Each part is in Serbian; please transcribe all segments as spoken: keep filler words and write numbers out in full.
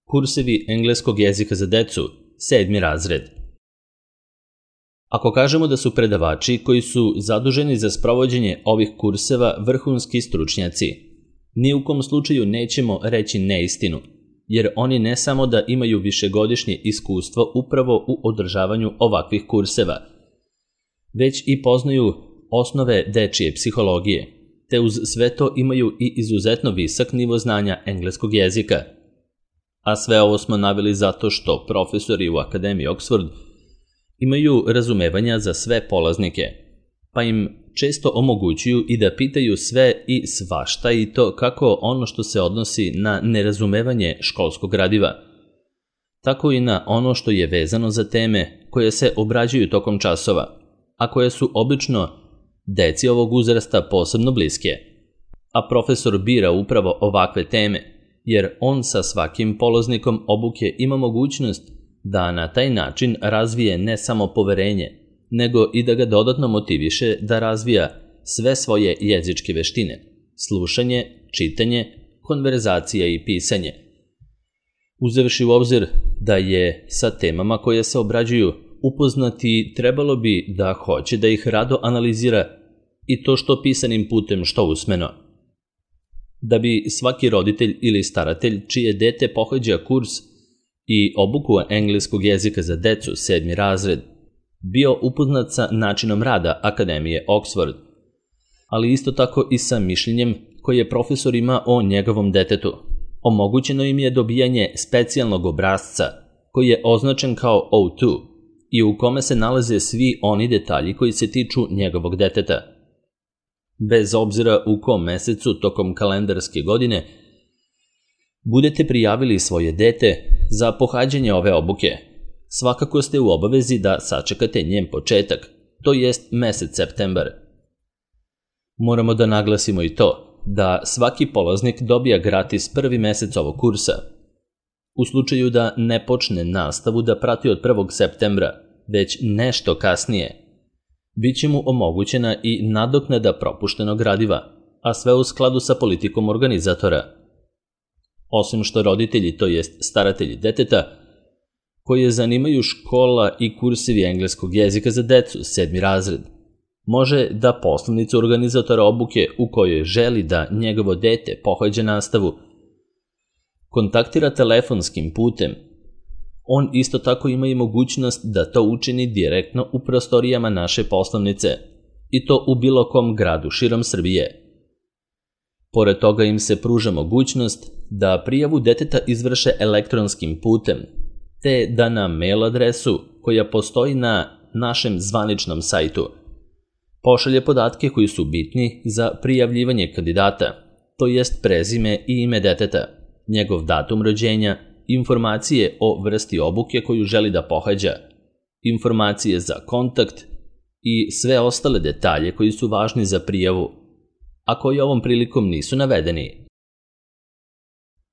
Kursevi engleskog jezika za decu, sedmi razred. Ako kažemo da su predavači koji su zaduženi za sprovođenje ovih kurseva vrhunski stručnjaci, ni u kom slučaju nećemo reći neistinu, jer oni ne samo da imaju višegodišnje iskustvo upravo u održavanju ovakvih kurseva, već i poznaju osnove dečije psihologije, te uz sve to imaju i izuzetno visok nivo znanja engleskog jezika. A sve ovo smo naveli zato što profesori u Akademiji Oxford imaju razumevanja za sve polaznike, pa im često omogućuju i da pitaju sve i svašta i to kako ono što se odnosi na nerazumevanje školskog gradiva, tako i na ono što je vezano za teme koje se obrađuju tokom časova, a koje su obično deci ovog uzrasta posebno bliske. A profesor bira upravo ovakve teme, jer on sa svakim polaznikom obuke ima mogućnost da na taj način razvije ne samo poverenje, nego i da ga dodatno motiviše da razvija sve svoje jezičke veštine, slušanje, čitanje, konverzacija i pisanje. Uzevši u obzir da je sa temama koje se obrađuju upoznati, trebalo bi da hoće da ih rado analizira i to što pisanim putem, što usmeno. Da bi svaki roditelj ili staratelj čije dete pohađa kurs i obuku engleskog jezika za decu, sedmi razred, bio upoznat sa načinom rada Akademije Oxford, ali isto tako i sa mišljenjem koje profesor ima o njegovom detetu. Omogućeno im je dobijanje specijalnog obrasca koji je označen kao O dva i u kome se nalaze svi oni detalji koji se tiču njegovog deteta. Bez obzira u kom mesecu tokom kalendarske godine budete prijavili svoje dete za pohađanje ove obuke, svakako ste u obavezi da sačekate njen početak, to jest mesec septembar. Moramo da naglasimo i to da svaki polaznik dobija gratis prvi mesec ovog kursa. U slučaju da ne počne nastavu da prati od prvog septembra, već nešto kasnije, biće mu omogućena i nadoknada propuštenog gradiva, a sve u skladu sa politikom organizatora. Osim što roditelji, to jest staratelji deteta, koje zanimaju škola i kursevi engleskog jezika za decu, sedmi razred, može da poslanicu organizatora obuke u kojoj želi da njegovo dete pohađa nastavu kontaktira telefonskim putem. On isto tako ima i mogućnost da to učini direktno u prostorijama naše poslovnice, i to u bilo kom gradu širom Srbije. Pored toga im se pruža mogućnost da prijavu deteta izvrše elektronskim putem, te da na mail adresu koja postoji na našem zvaničnom sajtu pošalje podatke koji su bitni za prijavljivanje kandidata, to jest prezime i ime deteta, njegov datum rođenja, informacije o vrsti obuke koju želi da pohađa, informacije za kontakt i sve ostale detalje koji su važni za prijavu, a koji ovom prilikom nisu navedeni.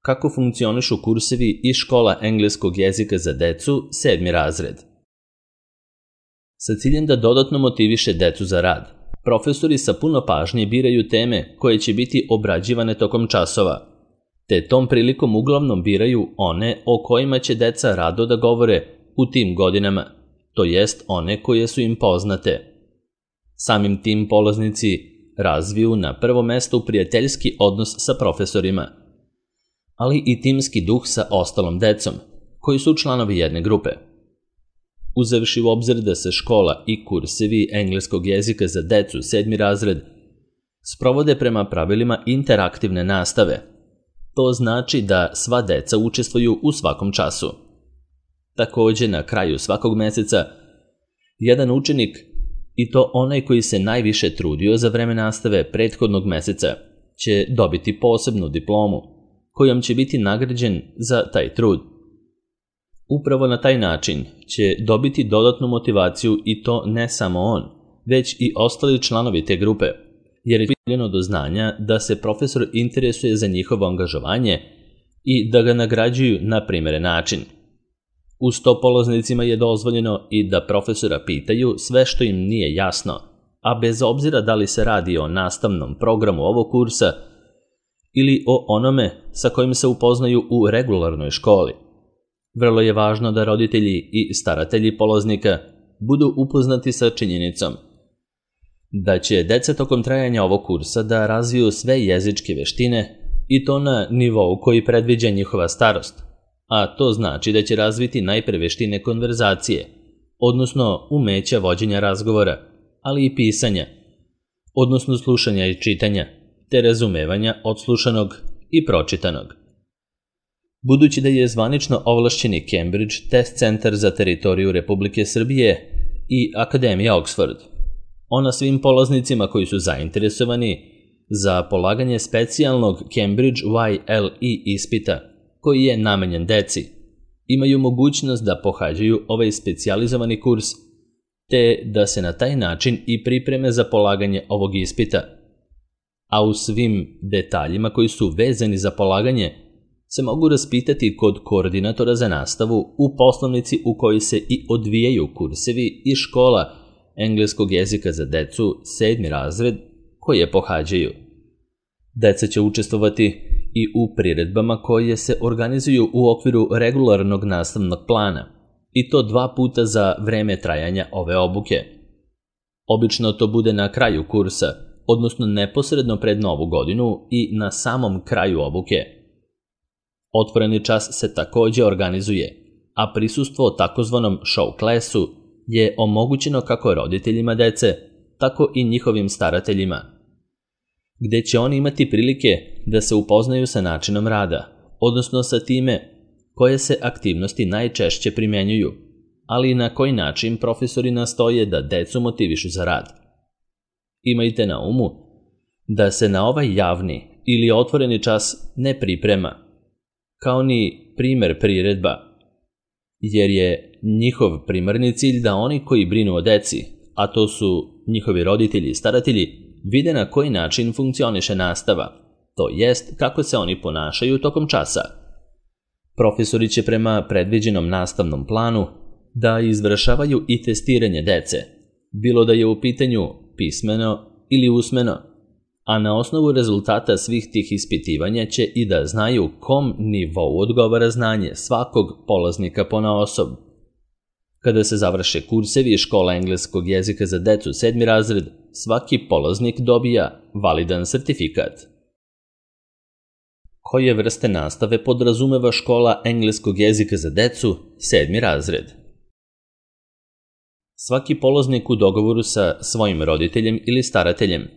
Kako funkcionišu kursevi iz škola engleskog jezika za decu, sedmi razred? Sa ciljem da dodatno motiviše decu za rad, profesori sa puno pažnje biraju teme koje će biti obrađivane tokom časova, te tom prilikom uglavnom biraju one o kojima će deca rado da govore u tim godinama, to jest one koje su im poznate. Samim tim polaznici razviju na prvo mesto prijateljski odnos sa profesorima, ali i timski duh sa ostalom decom, koji su članovi jedne grupe. Uzevši u obzir da se škola i kursevi engleskog jezika za decu, sedmi razred, sprovode prema pravilima interaktivne nastave, to znači da sva deca učestvuju u svakom času. Takođe, na kraju svakog meseca, jedan učenik, i to onaj koji se najviše trudio za vreme nastave prethodnog meseca, će dobiti posebnu diplomu, kojom će biti nagrađen za taj trud. Upravo na taj način će dobiti dodatnu motivaciju i to ne samo on, već i ostali članovi te grupe, jer je pribavljeno do znanja da se profesor interesuje za njihovo angažovanje i da ga nagrađuju na primeren način. Uz to polaznicima je dozvoljeno i da profesora pitaju sve što im nije jasno, a bez obzira da li se radi o nastavnom programu ovog kursa ili o onome sa kojim se upoznaju u regularnoj školi. Vrlo je važno da roditelji i staratelji polaznika budu upoznati sa činjenicom da će deca tokom trajanja ovog kursa da razviju sve jezičke veštine i to na nivou koji predviđa njihova starost, a to znači da će razviti najpre veštine konverzacije, odnosno umeća vođenja razgovora, ali i pisanja, odnosno slušanja i čitanja, te razumevanja odslušanog i pročitanog. Budući da je zvanično ovlašćeni Cambridge test centar za teritoriju Republike Srbije i Akademija Oxford, ona svim polaznicima koji su zainteresovani za polaganje specijalnog Cambridge Y L E ispita, koji je namenjen deci, imaju mogućnost da pohađaju ovaj specijalizovani kurs, te da se na taj način i pripreme za polaganje ovog ispita. A u svim detaljima koji su vezani za polaganje se mogu raspitati kod koordinatora za nastavu u poslovnici u kojoj se i odvijaju kursevi i škola engleskog jezika za decu sedmi razred koje pohađaju. Deca će učestvovati i u priredbama koje se organizuju u okviru regularnog nastavnog plana, i to dva puta za vreme trajanja ove obuke. Obično to bude na kraju kursa, odnosno neposredno pred Novu godinu i na samom kraju obuke. Otvoreni čas se takođe organizuje, a prisustvo takozvanom show klasu je omogućeno kako roditeljima dece, tako i njihovim starateljima, gde će oni imati prilike da se upoznaju sa načinom rada, odnosno sa time koje se aktivnosti najčešće primenjuju, ali i na koji način profesori nastoje da decu motivišu za rad. Imajte na umu da se na ovaj javni ili otvoreni čas ne priprema, kao ni primer priredba, jer je njihov primarni cilj da oni koji brinu o deci, a to su njihovi roditelji i staratelji, vide na koji način funkcioniše nastava, to jest kako se oni ponašaju tokom časa. Profesori će prema predviđenom nastavnom planu da izvršavaju i testiranje dece, bilo da je u pitanju pismeno ili usmeno, a na osnovu rezultata svih tih ispitivanja će i da znaju kom nivou odgovara znanje svakog polaznika ponaosob. Kada se završe kursevi škola engleskog jezika za decu sedmi razred, svaki polaznik dobija validan sertifikat. Koje vrste nastave podrazumeva škola engleskog jezika za decu sedmi razred? Svaki polaznik u dogovoru sa svojim roditeljem ili starateljem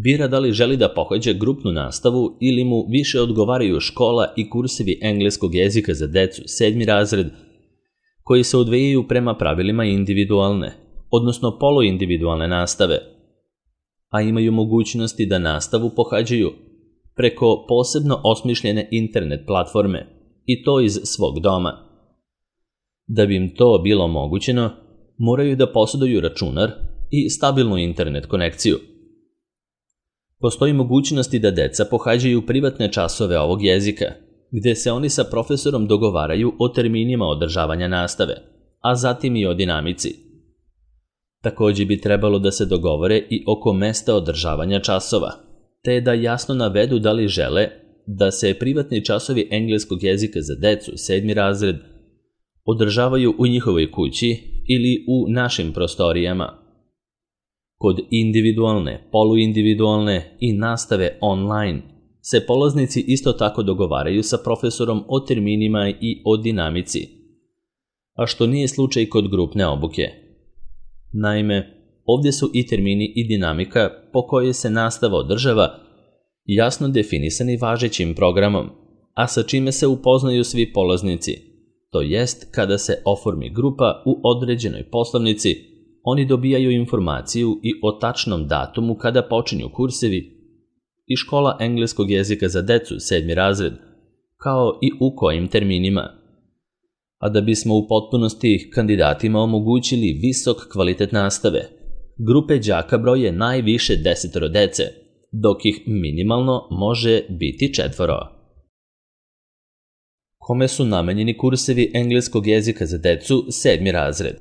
bira da li želi da pohađa grupnu nastavu ili mu više odgovaraju škola i kursevi engleskog jezika za decu sedmi razred, koji se odvijaju prema pravilima individualne, odnosno poluindividualne nastave, a imaju mogućnosti da nastavu pohađaju preko posebno osmišljene internet platforme, i to iz svog doma. Da bi im to bilo omogućeno, moraju da posjeduju računar i stabilnu internet konekciju. Postoji mogućnosti da deca pohađaju privatne časove ovog jezika, gde se oni sa profesorom dogovaraju o terminima održavanja nastave, a zatim i o dinamici. Takođe bi trebalo da se dogovore i oko mesta održavanja časova, te da jasno navedu da li žele da se privatni časovi engleskog jezika za decu sedmi razred održavaju u njihovoj kući ili u našim prostorijama. Kod individualne, poluindividualne i nastave online se polaznici isto tako dogovaraju sa profesorom o terminima i o dinamici, a što nije slučaj kod grupne obuke. Naime, ovdje su i termini i dinamika po kojoj se nastava održava jasno definisani važećim programom, a sa čime se upoznaju svi polaznici, to jest kada se oformi grupa u određenoj poslovnici, oni dobijaju informaciju i o tačnom datumu kada počinju kursevi i škola engleskog jezika za decu sedmi razred, kao i u kojim terminima. A da bismo u potpunosti kandidatima omogućili visok kvalitet nastave, grupe đaka broje najviše desetoro dece, dok ih minimalno može biti četvoro. Kome su namenjeni kursevi engleskog jezika za decu sedmi razred?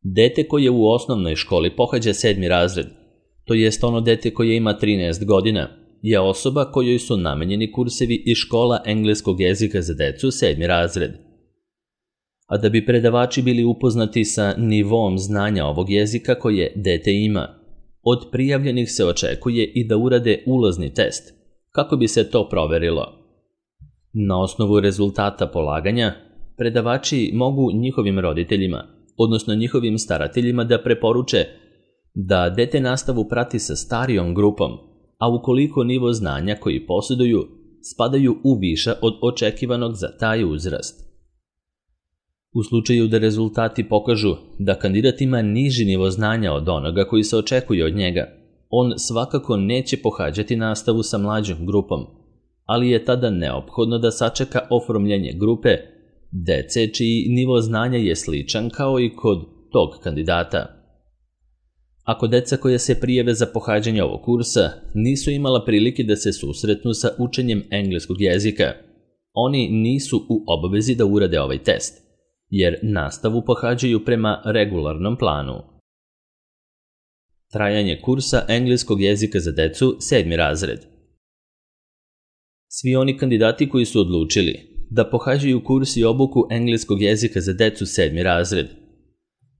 Dete koje u osnovnoj školi pohađa sedmi razred, to jest ono dete koje ima trinaest godina, je osoba kojoj su namenjeni kursevi iz škola engleskog jezika za decu sedmi razred. A da bi predavači bili upoznati sa nivom znanja ovog jezika koje dete ima, od prijavljenih se očekuje i da urade ulazni test, kako bi se to proverilo. Na osnovu rezultata polaganja, predavači mogu njihovim roditeljima, odnosno njihovim starateljima da preporuče da dete nastavu prati sa starijom grupom, a ukoliko nivo znanja koji posjeduju spadaju u viša od očekivanog za taj uzrast. U slučaju da rezultati pokažu da kandidat ima niži nivo znanja od onoga koji se očekuje od njega, on svakako neće pohađati nastavu sa mlađom grupom, ali je tada neophodno da sačeka oformljenje grupe dece čiji nivo znanja je sličan kao i kod tog kandidata. Ako deca koja se prijave za pohađanje ovog kursa nisu imala prilike da se susretnu sa učenjem engleskog jezika, oni nisu u obavezi da urade ovaj test, jer nastavu pohađaju prema regularnom planu. Trajanje kursa engleskog jezika za decu sedmi razred. Svi oni kandidati koji su odlučili da pohađaju kurs i obuku engleskog jezika za decu sedmi razred,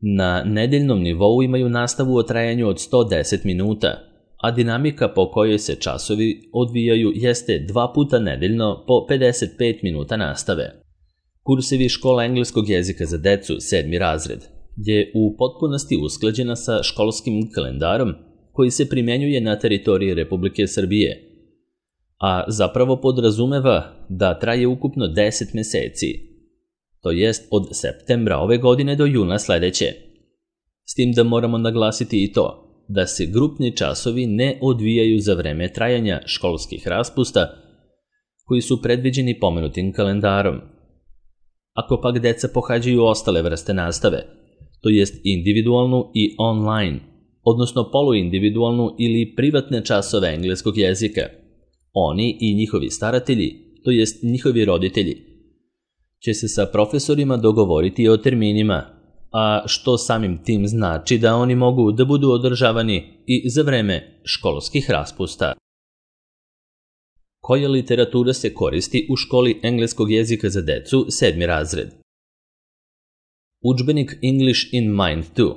na nedeljnom nivou imaju nastavu o trajanju od sto deset minuta, a dinamika po kojoj se časovi odvijaju jeste dva puta nedeljno po pedeset pet minuta nastave. Kursevi škola engleskog jezika za decu sedmi razred je u potpunosti usklađena sa školskim kalendarom koji se primjenjuje na teritoriji Republike Srbije, a zapravo podrazumeva da traje ukupno deset meseci, to jest od septembra ove godine do juna sledeće. S tim da moramo naglasiti i to da se grupni časovi ne odvijaju za vreme trajanja školskih raspusta koji su predviđeni pomenutim kalendarom. Ako pak deca pohađaju ostale vrste nastave, to jest individualnu i online, odnosno poluindividualnu ili privatne časove engleskog jezika, oni i njihovi staratelji, to jest njihovi roditelji, će se sa profesorima dogovoriti o terminima, a što samim tim znači da oni mogu da budu održavani i za vreme školskih raspusta. Koja literatura se koristi u školi engleskog jezika za decu sedmi razred? Udžbenik English in Mind dva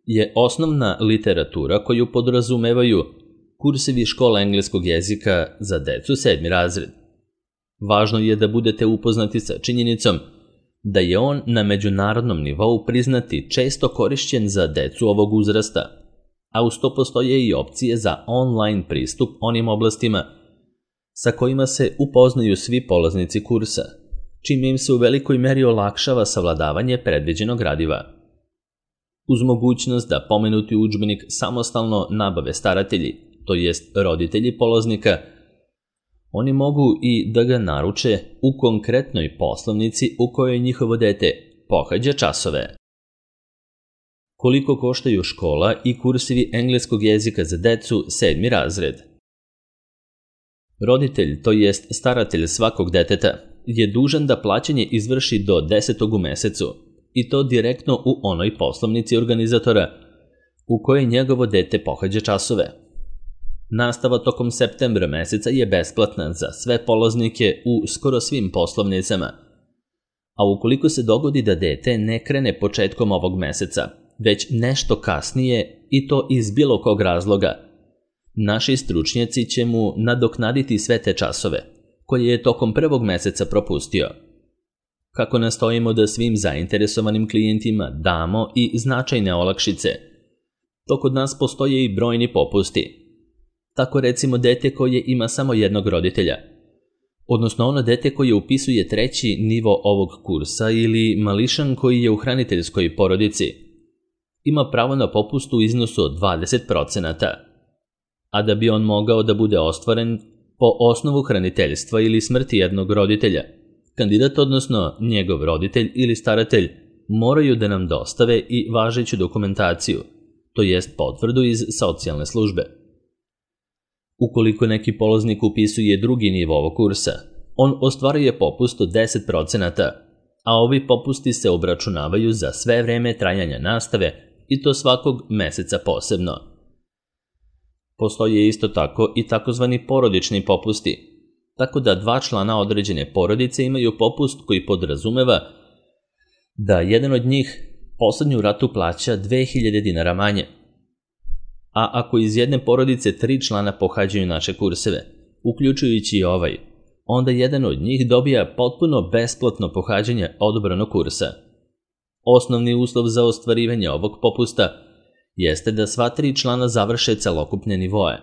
je osnovna literatura koju podrazumevaju kursevi škola engleskog jezika za decu sedmi razred. Važno je da budete upoznati sa činjenicom da je on na međunarodnom nivou priznati često korišćen za decu ovog uzrasta, a uz to postoje i opcije za online pristup onim oblastima sa kojima se upoznaju svi polaznici kursa, čime im se u velikoj meri olakšava savladavanje predviđenog gradiva. Uz mogućnost da pomenuti udžbenik samostalno nabave staratelji, to jest roditelji polaznika, oni mogu i da ga naruče u konkretnoj poslovnici u kojoj njihovo dete pohađa časove. Koliko koštaju škola i kursevi engleskog jezika za decu sedmi razred? Roditelj, to jest staratelj svakog deteta, je dužan da plaćanje izvrši do desetog u mesecu, i to direktno u onoj poslovnici organizatora u kojoj njegovo dete pohađa časove. Nastava tokom septembra meseca je besplatna za sve polaznike u skoro svim poslovnicama, a ukoliko se dogodi da dete ne krene početkom ovog meseca, već nešto kasnije i to iz bilo kog razloga, naši stručnjaci će mu nadoknaditi sve te časove koje je tokom prvog meseca propustio. Kako nastojimo da svim zainteresovanim klijentima damo i značajne olakšice, to kod nas postoje i brojni popusti. Tako recimo dete koje ima samo jednog roditelja, odnosno ono dete koje upisuje treći nivo ovog kursa ili mališan koji je u hraniteljskoj porodici, ima pravo na popust u iznosu od dvadeset procenata, a da bi on mogao da bude ostvaren po osnovu hraniteljstva ili smrti jednog roditelja, kandidat, odnosno njegov roditelj ili staratelj, moraju da nam dostave i važeću dokumentaciju, to jest potvrdu iz socijalne službe. Ukoliko neki polaznik upisuje drugi nivo ovog kursa, on ostvaruje popust od deset procenata, a ovi popusti se obračunavaju za sve vreme trajanja nastave i to svakog meseca posebno. Postoje isto tako i takozvani porodični popusti, tako da dva člana određene porodice imaju popust koji podrazumeva da jedan od njih poslednju ratu plaća dve hiljade dinara manje. A ako iz jedne porodice tri člana pohađaju naše kurseve, uključujući i ovaj, onda jedan od njih dobija potpuno besplatno pohađanje odabranog kursa. Osnovni uslov za ostvarivanje ovog popusta jeste da sva tri člana završe celokupne nivoe.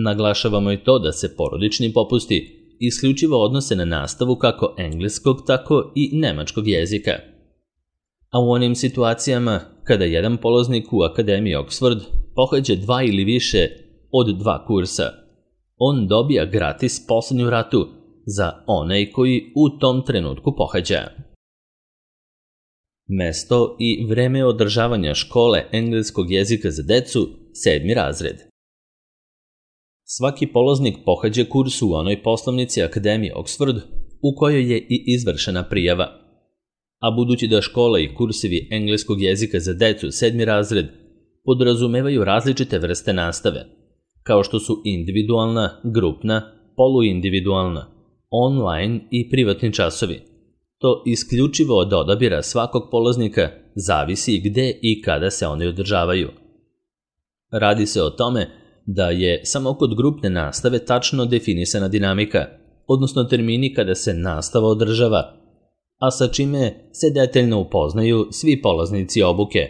Naglašavamo i to da se porodični popusti isključivo odnose na nastavu kako engleskog, tako i nemačkog jezika. A u onim situacijama kada jedan polaznik u Akademiji Oxford pohađa dva ili više od dva kursa, on dobija gratis poslednju ratu za onaj koji u tom trenutku pohađa. Mesto i vreme održavanja škole engleskog jezika za decu, sedmi razred. Svaki polaznik pohađa kurs u onoj poslovnici Akademije Oxford u kojoj je i izvršena prijava. A budući da škola i kursevi engleskog jezika za decu, sedmi razred, podrazumevaju različite vrste nastave, kao što su individualna, grupna, poluindividualna, online i privatni časovi. To isključivo od odabira svakog polaznika zavisi gde i kada se oni održavaju. Radi se o tome da je samo kod grupne nastave tačno definisana dinamika, odnosno termini kada se nastava održava, a sa čime se detaljno upoznaju svi polaznici obuke.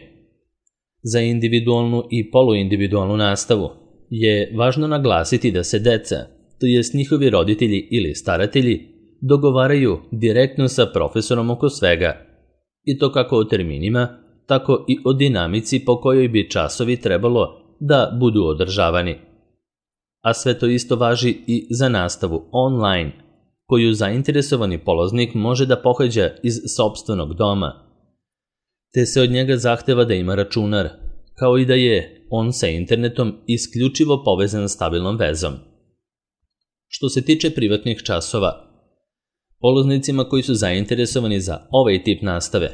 Za individualnu i poluindividualnu nastavu je važno naglasiti da se deca, to jest njihovi roditelji ili staratelji, dogovaraju direktno sa profesorom oko svega, i to kako o terminima, tako i o dinamici po kojoj bi časovi trebalo da budu održavani. A sve to isto važi i za nastavu online, koju zainteresovani polaznik može da pohađa iz sopstvenog doma, te se od njega zahteva da ima računar, kao i da je on sa internetom isključivo povezan stabilnom vezom. Što se tiče privatnih časova, polaznicima koji su zainteresovani za ovaj tip nastave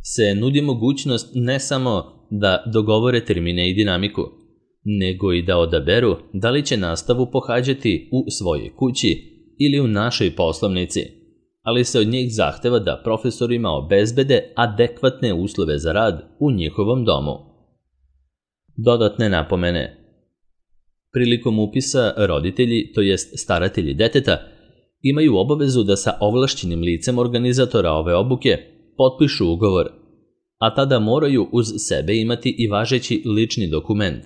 se nudi mogućnost ne samo da dogovore termine i dinamiku, nego i da odaberu da li će nastavu pohađati u svojoj kući ili u našoj poslovnici, ali se od njih zahteva da profesorima obezbede adekvatne uslove za rad u njihovom domu. Dodatne napomene. Prilikom upisa roditelji, to jest staratelji deteta, imaju obavezu da sa ovlašćenim licem organizatora ove obuke potpišu ugovor, a tada moraju uz sebe imati i važeći lični dokument,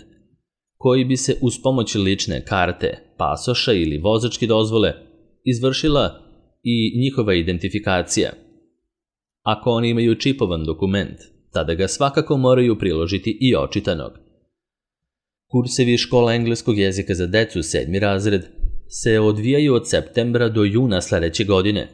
koji bi se uz pomoć lične karte, pasoša ili vozačke dozvole izvršila i njihova identifikacija. Ako oni imaju čipovan dokument, tada ga svakako moraju priložiti i očitanog. Kursevi škola engleskog jezika za decu, sedmi razred, se odvijaju od septembra do juna sledeće godine,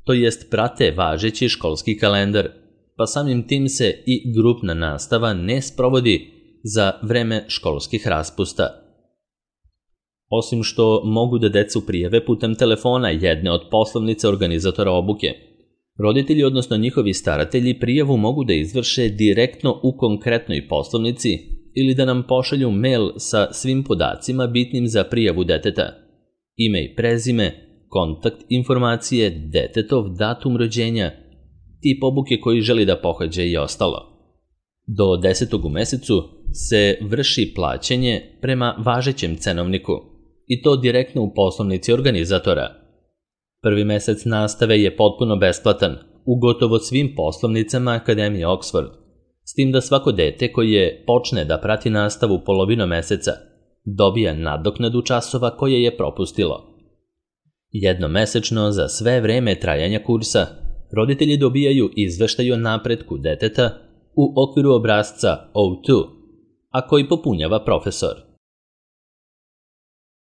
to jest prate važeći školski kalendar, pa samim tim se i grupna nastava ne sprovodi za vreme školskih raspusta. Osim što mogu da decu prijave putem telefona jedne od poslovnica organizatora obuke, roditelji, odnosno njihovi staratelji, prijavu mogu da izvrše direktno u konkretnoj poslovnici ili da nam pošalju mail sa svim podacima bitnim za prijavu deteta, ime i prezime, kontakt informacije, detetov datum rođenja, tip obuke koji želi da pohađa i ostalo. Do desetog u mesecu se vrši plaćanje prema važećem cenovniku, i to direktno u poslovnici organizatora. Prvi mesec nastave je potpuno besplatan u gotovo svim poslovnicama Akademije Oxford, s tim da svako dete koje počne da prati nastavu polovinom meseca dobija nadoknadu časova koje je propustilo. Jednomesečno za sve vreme trajanja kursa roditelji dobijaju izveštaj o napretku deteta u okviru obrasca O dva, a koji popunjava profesor.